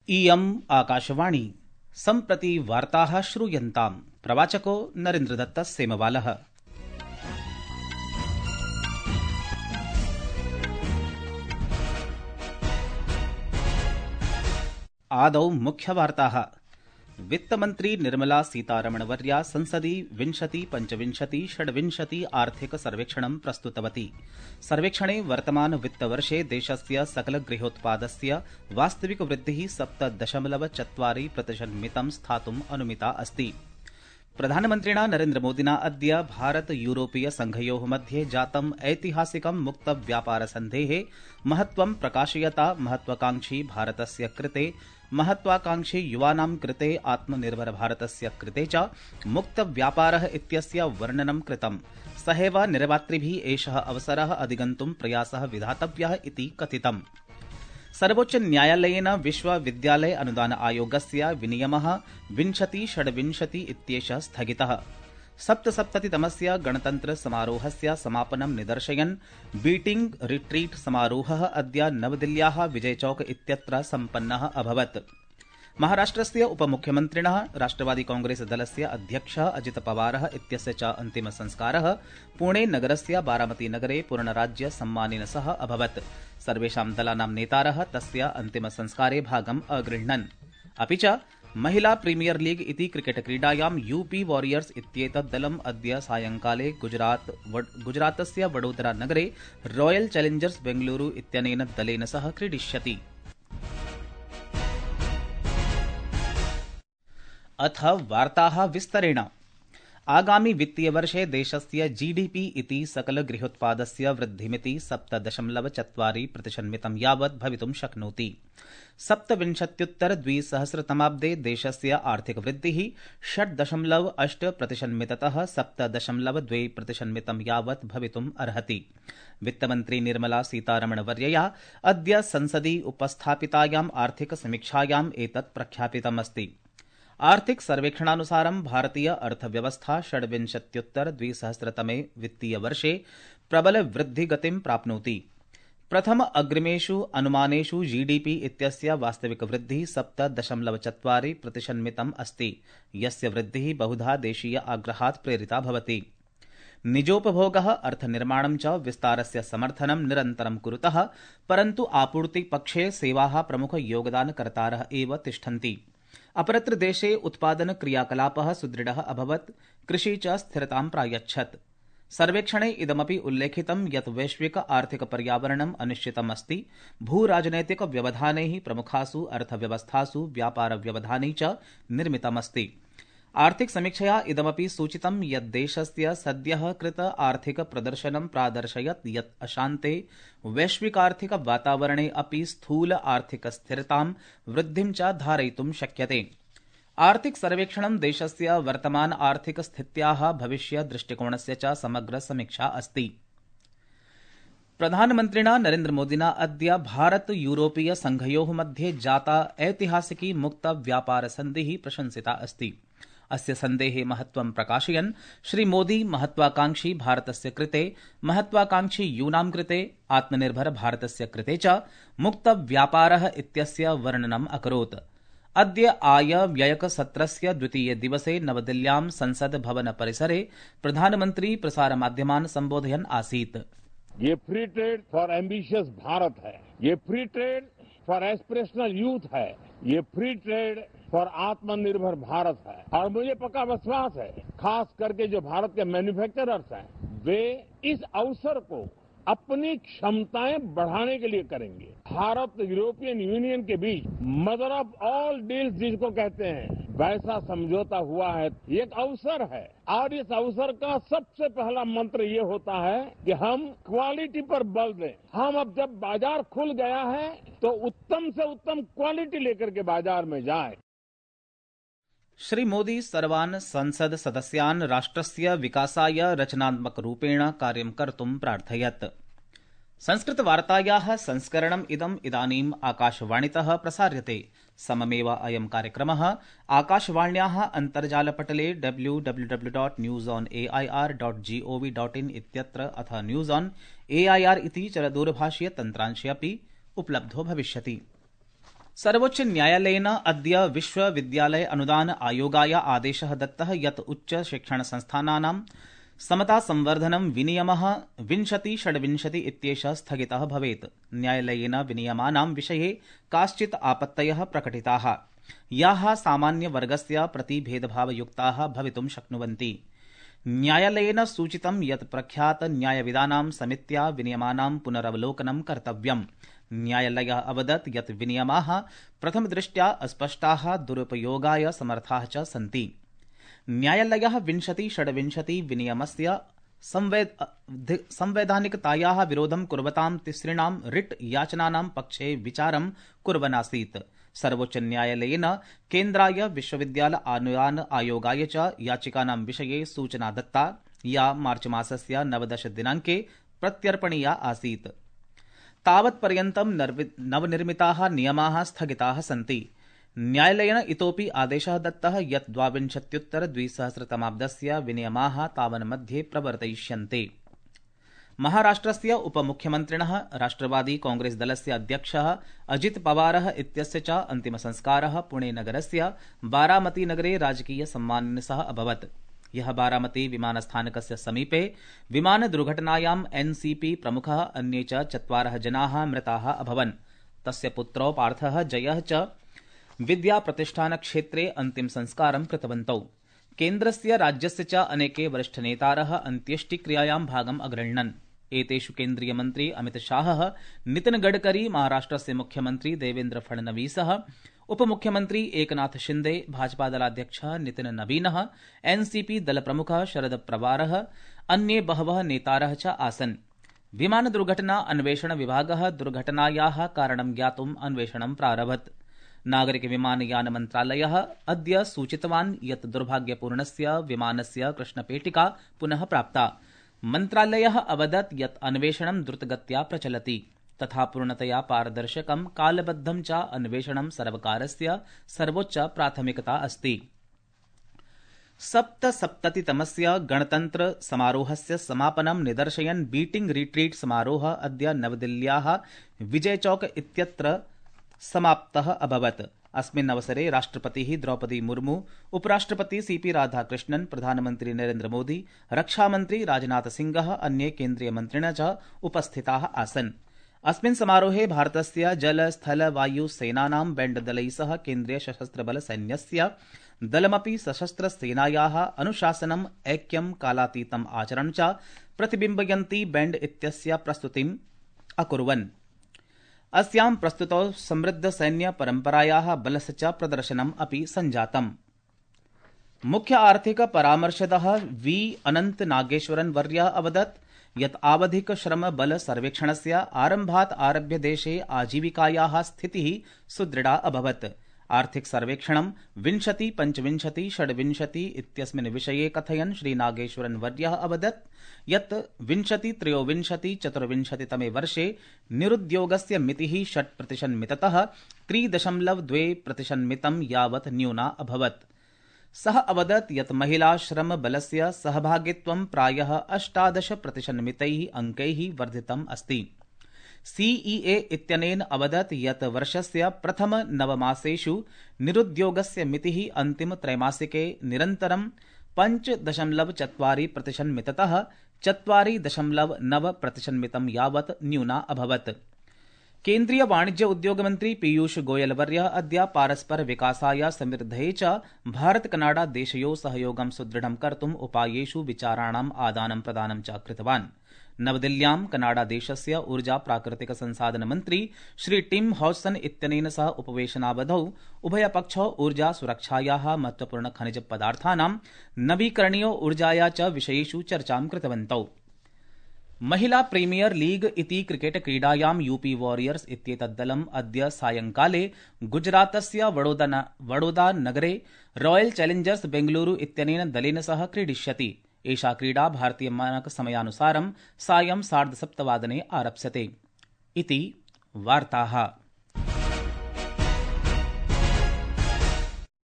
इयम् आकाशवाणी सम्प्रति वार्ताः श्रूयन्ताम्। प्रवाचको नरेन्द्रदत्तः सेमवालः। आदौ मुख्यवार्ताः। वित्तमन्त्री निर्मला सीतारमणवर्या संसदि 20-25-26 आर्थिक सर्वेक्षणं प्रस्तुतवती। सर्वेक्षणे वर्तमान वित्तवर्षे देशस्य सकलगृहोत्पादस्य वास्तविक वृद्धिः 7.4% स्थातुम् अनुमिता अस्ति। प्रधानमन्त्रिणा नरेन्द्रमोदिना अद्य भारत यूरोपीय संघयोः मध्ये जातम् ऐतिहासिकं मुक्त व्यापार सन्धेः महत्त्वं प्रकाशयता महत्त्वाकांक्षी भारतस्य कृते, महत्त्वाकांक्षी युवानां कृते, आत्मनिर्भर भारतस्य कृते च मुक्त व्यापारः इत्यस्य वर्णनं कृतम्। सहैव निर्मातृभिः एषः अवसरः अधिगन्तुं प्रयासः विधातव्यः इति कथितम्। सर्वोच्च न्यायालयेन विश्वविद्यालय अनुदान आयोगस्य विनियमः 2026 इत्येषः स्थगितः। 77तमस्य गणतन्त्र समारोहस्य समापनं निदर्शयन् बीटिंग रिट्रीट समारोहः अद्य नवदिल्ल्याः विजयचौक इत्यत्र सम्पन्नः अभवत्। महाराष्ट्रस्य उपमुख्यमन्त्रिणः राष्ट्रवादी कांग्रेस दलस्य अध्यक्षः अजित पवारः इत्यस्य च अन्तिमसंस्कारः पुणे नगरस्य बारामती नगरे पूर्णराज्य सम्मानेन सह अभवत्। सर्वेषां दलानां नेतारः तस्य अन्तिमसंस्कारे भागम् अगृह्णन्। अपि च महिला प्रीमियर लीग इति क्रिकेट क्रीडायां यूपी वॉरियर्स इत्येतत् दलम् अद्य सायंकाले गुजरातस्य वडोदरा नगरे रॉयल चैलेंजर्स बेंगलुरु इत्यनेन दलेन सह क्रीडिष्यति। अथ वार्ताः विस्तरेण। आगामि वित्तीयवर्षे देशस्य जीडीपी इति सकलगृहोत्पादस्य वृद्धिमिति 7.4% यावत् भवितुं शक्नोति। 27-2000 देशस्य आर्थिकवृद्धिः 6.8%तः 7.2% यावत् भवितुम् अर्हति। वित्तमन्त्री निर्मला सीतारमणवर्यया अद्य संसदि उपस्थापितायाम् आर्थिकसमीक्षायाम् एतत् प्रख्यापितमस्ति। आर्थिक सर्वेक्षणानुसारं भारतीय अर्थव्यवस्था 26-2000 वित्तीयवर्षे प्रबल वृद्धिगतिं प्राप्नोति। प्रथम अग्रिमेषु अनुमानेषु जीडीपी इत्यस्य वास्तविक वृद्धिः 7.4% अस्ति, यस्य वृद्धिः बहुधा देशीय आग्रहात् प्रेरिता भवति। निजोपभोगः, अर्थनिर्माणं च विस्तारस्य समर्थनं निरन्तरं कुरुतः, परन्तु आपूर्तिपक्षे सेवाः प्रमुख योगदानकर्तारः एव तिष्ठन्ति। अपरत्र देशे उत्पादन क्रियाकलापः सुदृढः अभवत्, कृषि च स्थिरतां प्रायच्छत्। सर्वेक्षणे इदमपि उल्लेखितं यत् वैश्विक आर्थिक पर्यावरणम् अनिश्चितम् अस्ति। भूराजनैतिक व्यवधानैः प्रमुखासु अर्थव्यवस्थासु व्यापार व्यवधानै च निर्मितमस्ति। आर्थिक समीक्षया इदमपि सूचितं यत् देशस्य सद्यः कृत आर्थिक प्रदर्शनं प्रादर्शयत् यत् अशान्ते वैश्विकार्थिक वातावरणे अपि स्थूल आर्थिक स्थिरतां वृद्धिं च धारयितुं शक्यते। आर्थिक सर्वेक्षणं देशस्य वर्तमान आर्थिक स्थित्याः भविष्य दृष्टिकोणस्य च समग्र समीक्षा अस्ति। प्रधानमन्त्रिणा नरेन्द्रमोदिना अद्य भारत यूरोपीय संघयोः मध्ये जाता ऐतिहासिकी मुक्त व्यापार सन्धिः प्रशंसिता अस्ति। अस्य सन्धेः महत्त्वं प्रकाशयन् श्रीमोदी महत्त्वाकांक्षी भारतस्य कृते, महत्त्वाकांक्षी यूनां कृते, आत्मनिर्भर भारतस्य कृते च मुक्त व्यापारः इत्यस्य वर्णनम् अकरोत्। अद्य आय व्ययक सत्रस्य द्वितीये दिवसे नवदिल्ल्यां संसद भवन परिसरे प्रधानमन्त्री प्रसारमाध्यमान् सम्बोधयन् आसीत्। ये free trade for ambitious Bharat है, ये free trade for aspirational youth है, ये फ्री ट्रेड फॉर आत्मनिर्भर भारत है। और मुझे पक्का विश्वास है, खास करके जो भारत के मैन्युफैक्चरर्स हैं, वे इस अवसर को अपनी क्षमताएं बढ़ाने के लिए करेंगे। Bharata European union K beach mother of all deals जिसको कहते हैं, वैसा समझौता हुआ है। ये एक अवसर है और इस अवसर का सबसे पहला मंत्र ये होता है कि हम क्वालिटी पर बल दें। हम अब जब बाजार खुल गया है तो उत्तम से उत्तम क्वालिटी लेकर के बाजार में जाएं। श्री मोदी सर्वान् संसद सदस्यान् राष्ट्रस्य विकासाय रचनात्मक रूपेण कार्यं कर्तुं प्रार्थयत्। संस्कृतवार्तायाः संस्करणम् इदानीम् आकाशवाणीतः प्रसार्यते। सममेव अयं कार्यक्रमः आकाशवाण्याः अन्तर्जालपटले www.newsonair.gov.in इत्यत्र अथ न्यूज़ ऑन एआईआर इति चरदूरभाषीय तन्त्रांशे अपि उपलब्धो भविष्यति। सर्वोच्च न्यायालयेन अद्य विश्वविद्यालय अनुदान आयोगाय आदेशः दत्तः यत् उच्च शिक्षण संस्थानानां समता संवर्धनं विनियमः 2026 इत्येषः स्थगितः भवेत्। न्यायालयेन विनियमानां विषये काश्चित् आपत्तयः प्रकटिताः, याः सामान्यवर्गस्य प्रति भेदभावयुक्ताः भवितुं शक्नुवन्ति। न्यायालयेन सूचितं यत् प्रख्यात न्यायविदानां समित्या विनियमानां पुनरवलोकनं कर्तव्यम्। न्यायालयः अवदत् यत् विनियमाः प्रथमदृष्ट्या अस्पष्टाः, दुरुपयोगाय समर्थाः च सन्ति। न्यायालयः 2026 विनियमस्य संवैधानिकतायाः विरोधं कुर्वतां तिसृणां रिट् याचनानां पक्षे विचारं कुर्वन्नासीत्। सर्वोच्च न्यायालयेन केन्द्राय विश्वविद्यालय अनुदान आयोगाय च याचिकानां विषये सूचना दत्ता, या मार्चमासस्य 19 दिनाङ्के प्रत्यर्पणीया आसीत्। तावत्पर्यन्तं नवनिर्मिताः नियमाः स्थगिताः सन्ति। न्यायालयेन इतोपि आदेशः दत्तः यत् 2022 विनियमाः तावन्मध्ये प्रवर्तयिष्यन्ते। महाराष्ट्रस्य उपमुख्यमन्त्रिणः राष्ट्रवादी कांग्रेस दलस्य अध्यक्षः अजित पवारः इत्यस्य च अन्तिमसंस्कारः पुणे नगरस्य बारामती नगरे राजकीय सम्मानेन सह अभवत्। यः बारामती विमानस्थानकस्य समीपे विमानदुर्घटनायां एनसीपी प्रमुखः अन्ये च 4 जनाः मृताः अभवन्। तस्य पुत्रौ पार्थः जयः च विद्याप्रतिष्ठानक्षेत्रे अन्तिमसंस्कारं कृतवन्तौ। केन्द्रस्य राज्यस्य च अनेके वरिष्ठनेतारः अन्त्येष्टिक्रियायां भागम् अगृह्णन्। एतेषु केन्द्रीयमन्त्री अमितशाहः, नितिन गडकरी, महाराष्ट्रस्य मुख्यमन्त्री देवेन्द्र फडणवीसः, उपमुख्यमन्त्री एकनाथ शिंदे, भाजपादलाध्यक्षः नितिन नवीनः, एनसीपी दलप्रमुखः शरद पवारः, अन्ये बहवः नेतारः च आसन्। विमानदुर्घटना अन्वेषण विभागः दुर्घटनायाः कारणं ज्ञातुम् अन्वेषणं प्रारभत। नागरिक विमानयान मन्त्रालयः अद्य सूचितवान् यत् दुर्भाग्यपूर्णस्य विमानस्य कृष्णपेटिका पुनः प्राप्ता। मन्त्रालयः अवदत् यत् अन्वेषणं द्रुतगत्या प्रचलति तथा पूर्णतया पारदर्शकं कालबद्धं च अन्वेषणं सर्वकारस्य सर्वोच्च प्राथमिकता अस्ति। 77तमस्य गणतन्त्र समारोहस्य समापनं निदर्शयन् बीटिंग रिट्रीट समारोहः अद्य नवदिल्ल्याः विजय चौक इत्यत्र समाप्तः अभवत्। अस्मिन् अवसरे राष्ट्रपतिः द्रौपदी मुर्मू, उपराष्ट्रपति सीपी राधाकृष्णन्, प्रधानमन्त्री नरेन्द्र मोदी, रक्षामन्त्री राजनाथ सिंहः, अन्ये केन्द्रीयमन्त्रिणः च उपस्थिताः आसन्। अस्मिन् समारोहे भारतस्य जल स्थल वायु सेनानां बैण्डदलैः सह केन्द्रीय सशस्त्रबल सैन्यस्य दलमपि सशस्त्रसेनायाः अनुशासनम्, ऐक्यं, कालातीतम् आचरणं च प्रतिबिम्बयन्ती बैण्ड इत्यस्य प्रस्तुतिम् अकुर्वन्। अस्यां प्रस्तुतौ समृद्ध सैन्य परम्परायाः बलस्य च प्रदर्शनम् अपि सञ्जातम्। मुख्य आर्थिक परामर्शदः वी अनन्त नागेश्वरन् वर्यः अवदत् यत् आवधिक श्रम बल सर्वेक्षणस्य आरम्भात् आरभ्य देशे आजीविकायाः स्थितिः सुदृढा अभवत्। आर्थिक सर्वेक्षणं 20, 25, 26 इत्यस्मिन् विषये कथयन् श्रीनागेश्वरन् वर्यः अवदत् यत् 20, 23, 24 तमे वर्षे निरुद्योगस्य मितिः 6% मिततः 3.2% मितं यावत् न्यूना अभवत्। सः अवदत् यत् महिला श्रम बलस्य सहभागित्वं प्रायः 18% मितैः अङ्कैः वर्धितम् अस्ति। सीईए इत्यनेन अवदत् यत् वर्षस्य प्रथम 9 मासेषु निरुद्योगस्य मितिः अन्तिम त्रैमासिके निरन्तरं 5.4% मिततः 4.9% मितं यावत् न्यूना अभवत्। केन्द्रीय वाणिज्य उद्योग मन्त्री पीयूष गोयल वर्यः अद्य पारस्पर विकासाय समृद्धये च भारत कनाडा देशयोः सहयोगं सुदृढं कर्तुम् उपायेषु विचाराणाम् आदानं प्रदानं च कृतवान्। नवदिल्ल्यां कनाडा देशस्य ऊर्जा प्राकृतिक संसाधन मन्त्री श्री टिम हॉजसन इत्यनेन सह उपवेशनावधौ उभयपक्षौ ऊर्जा सुरक्षायाः महत्वपूर्ण खनिज पदार्थानां नवीकरणीय ऊर्जाया च विषयेषु चर्चां कृतवन्तौ। महिला प्रीमियर लीग इति क्रिकेट क्रीडायां यूपी वॉरियर्स इत्येतद्दलम् अद्य सायंकाले गुजरातस्य वडोदरा नगरे रॉयल चैलेंजर्स बेंगलुरु इत्यनेन दलेन सह क्रीडिष्यति। एषा क्रीडा भारतीय मानक समयानुसारं सायं 7:30 आरप्स्यते। इति वार्ताः।